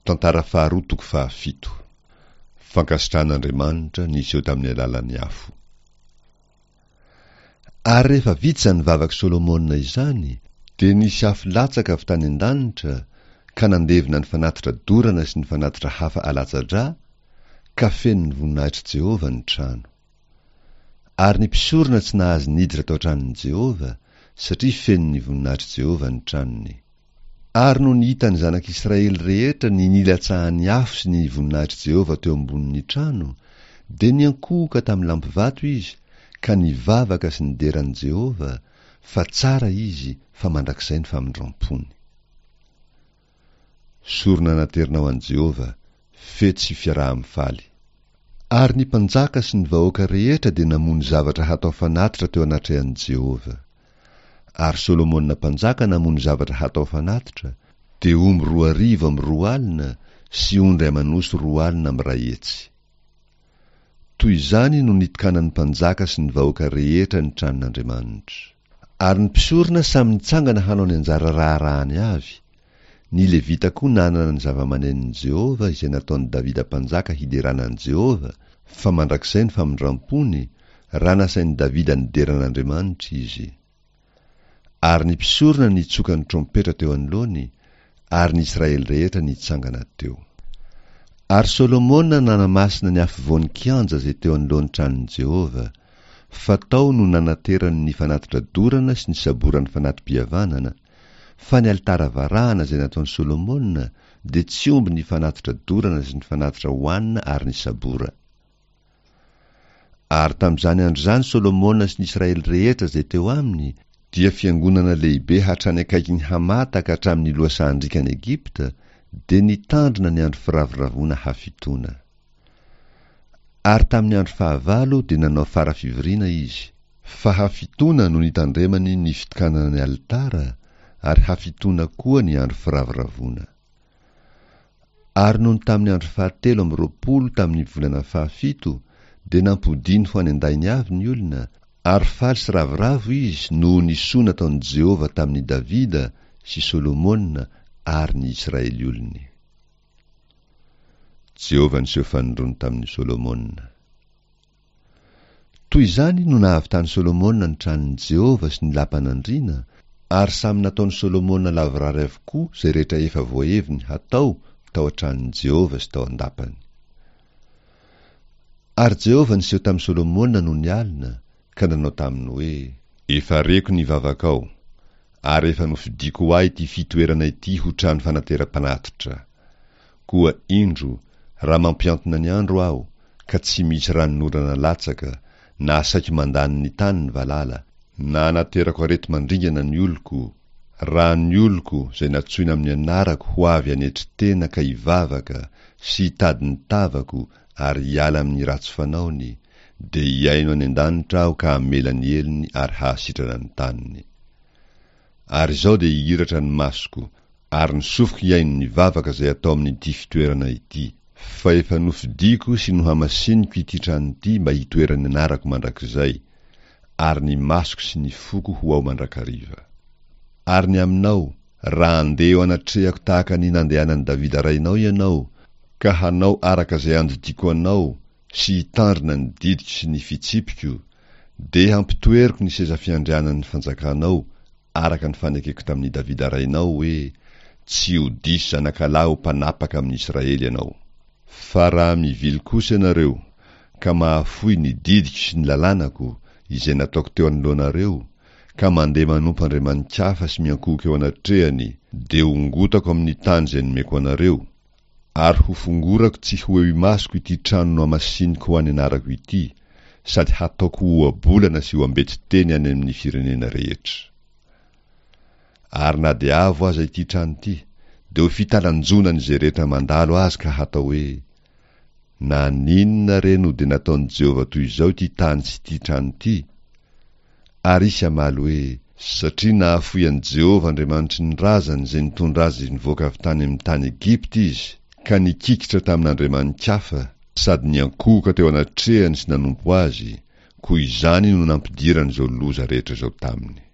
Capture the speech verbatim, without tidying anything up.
Tantara faharoa toko fahafito. Fankasitrahan'Andriamanitra niseho tamin'ny alalan'ny afo. Ary rehefa vita izany vavak'i Solomona izany, dia nisy afo latsaka avy tany an-danitra ka nandevona ny fanatitra dorana sy ny fanatitra hafa alatsa-drà, ka feno ny voninahitr'i Jehovah ny trano. Ary ny mpisorona tsy nahazo niditra tao an-tranon'i Jehovah, satria feno ny voninahitr'i Jehovah ny tranony. Ary nony hitan'ny zanak'Israely rehetra ny nilatsahan'ny afo sy ny voninahitr'i Jehovah teo ambonin'ny trano, dia niankohoka tamin'ny lampivato izy ka nivavaka sy nidera an'i Jehovah, fa tsara izy, fa mandrakizay ny famindram-pony. Sorona naterina ho an'i Jehovah, fety sy fiaraha-mifaly. Ary ny mpanjaka sy ny vahoaka rehetra dia namono zavatra hatao fanatitra teo anatrehan'i Jehovah. Ary Solomona mpanjaka namono zavatra hatao fanatitra, dia omby roa arivo amby roa alina sy ondry aman'osy roa alina amby iray hetsy. Toy izany no nitokanan'ny mpanjaka sy ny vahoaka rehetra ny tranon'Andriamanitra. Ary ny mpisorona samy nitsangana hanao ny anjara raharahany avy, ny Levita koa nanana ny zava-manenon'i Jehovah izay nataon'i Davida mpanjaka hiderana an'i Jehovah, fa mandrakizay ny famindram-pony, raha nasain'i Davida nidera an'Andriamanitra izy. Ary ny mpisorona nitsoka ny trompetra teo anoloany, ary ny Israely rehetra nitsangana teo. Ary Solomona nanamasina ny afovoan'ny kianja izay teo anoloan'ny tranon'i Jehovah, fa tao no nanaterany ny fanatitra dorana sy ny saboran'ny fanati-pihavanana, fa ny alitara varahana izay nataon'i Solomona dia tsy omby ny fanatitra dorana sy ny fanatitra hohanina ary ny sabora. Ary tamin'izany andro izany Solomona sy ny Israely rehetra izay teo aminy dia fiangonana lehibe hatrany akaikin'i Hamata ka hatramin'ny lohasahan-driakan'i Egypta, dia nitandrina ny andro firavoravoana hafitoana. Ary tamin'ny andro fahavalo dia nanao fara fivoriana izy. Fa hafitoana no nitandremany ny fitokanana ny alitara, ary hafitoana koa ny andro firavoravoana. Ary nony tamin'ny andro fahatelo amby roapolo tamin'ny volana fahafito dia nampodiany ho any an-dainy avy ny olona, ary faly sy ravoravo izy noho ny soa nataon'i Jehovah tamin'i Davida sy Solomona ary ny Israely olony. Jehovah niseho fanindroany tamin'i Solomona. Toy izany no nahavitan'i Solomona ny tranon'i Jehovah sy ny lapan'andriana, ary samy nataon'i Solomona lavorary avokoa izay rehetra efa voaheviny hatao tao an-tranon'i Jehovah sy tao an-dapany. Ary Jehovah niseho tamin'i Solomona nony alina, ka nanao taminy hoe, Efa reko ny vavakao, ary efa nofidiko ho ahy ity fitoerana ity ho trano fanateram-panatitra. Koa indro, raha mampihantona ny andro aho, ka tsy misy ranonorana latsaka, na saiky mandany ny tany ny valala, na anaterako areti-mandringana ny oloko, raha ny oloko izay natsoina amin'ny anarako ho avy hanetry tena ka hivavaka sy hitady ny tavako ary hiala amin'ny ratsy fanaony, dia hihaino any an-danitra aho ka hamela ny helony ary hahasitrana ny taniny. Ary izao dia hihiratra ny masoko, ary ny sofiko hihaino ny vavaka izay atao amin'ity fitoerana ity. Fa efa nofidiko sy nohamasiniko ity trano ity mba hitoeran'ny anarako mandrakizay, ary ny masoko sy ny foko ho ao mandrakariva. Ary ny aminao, raha handeha eo anatrehako tahaka ny nandehanan'i Davida rainao ianao, ka hanao araka izay andidiako anao sy hitandrina ny didiko sy ny fitsipiko, dia hampitoeriko ny seza fiandrianan'ny fanjakanao araka ny fanekeko tamin'i Davida rainao hoe, Tsy ho diso zanakalahy ho mpanapaka amin'i Israely ianao. Fa raha mivily kosa ianareo, ka mahafoy ny didiko sy ny lalànako, izay nataoko teo anoloanareo, ka mandeha manompo andriamani-kafa sy miankohoka eo anatrehany, dia hongotako amin'ny tany izay nomeko anareo, ary hofongorako tsy ho eo imasoko ity trano nohamasiniko ho an'ny anarako ity, sady hataoko ho ohabolana sy ho ambetiteny any amin'ny firenena rehetra. Ary na dia avo aza ity trano ity, dia ho fitalanjonan'izay rehetra mandalo azy ka hatao hoe, Naninona re no dia nataon'i Jehovah toy izao ity tany sy ity trano ity? Ary hisy hamaly hoe, Satria nahafoy an'i Jehovah Andriamanitry ny razany izay nitondra azy nivoaka avy tany amin'ny tany Egypta izy, ka nikikitra tamin'andriamani-kafa, sady niankohoka teo anatrehany sy nanompo azy, koa izany no nampidirany izao loza rehetra izao taminy.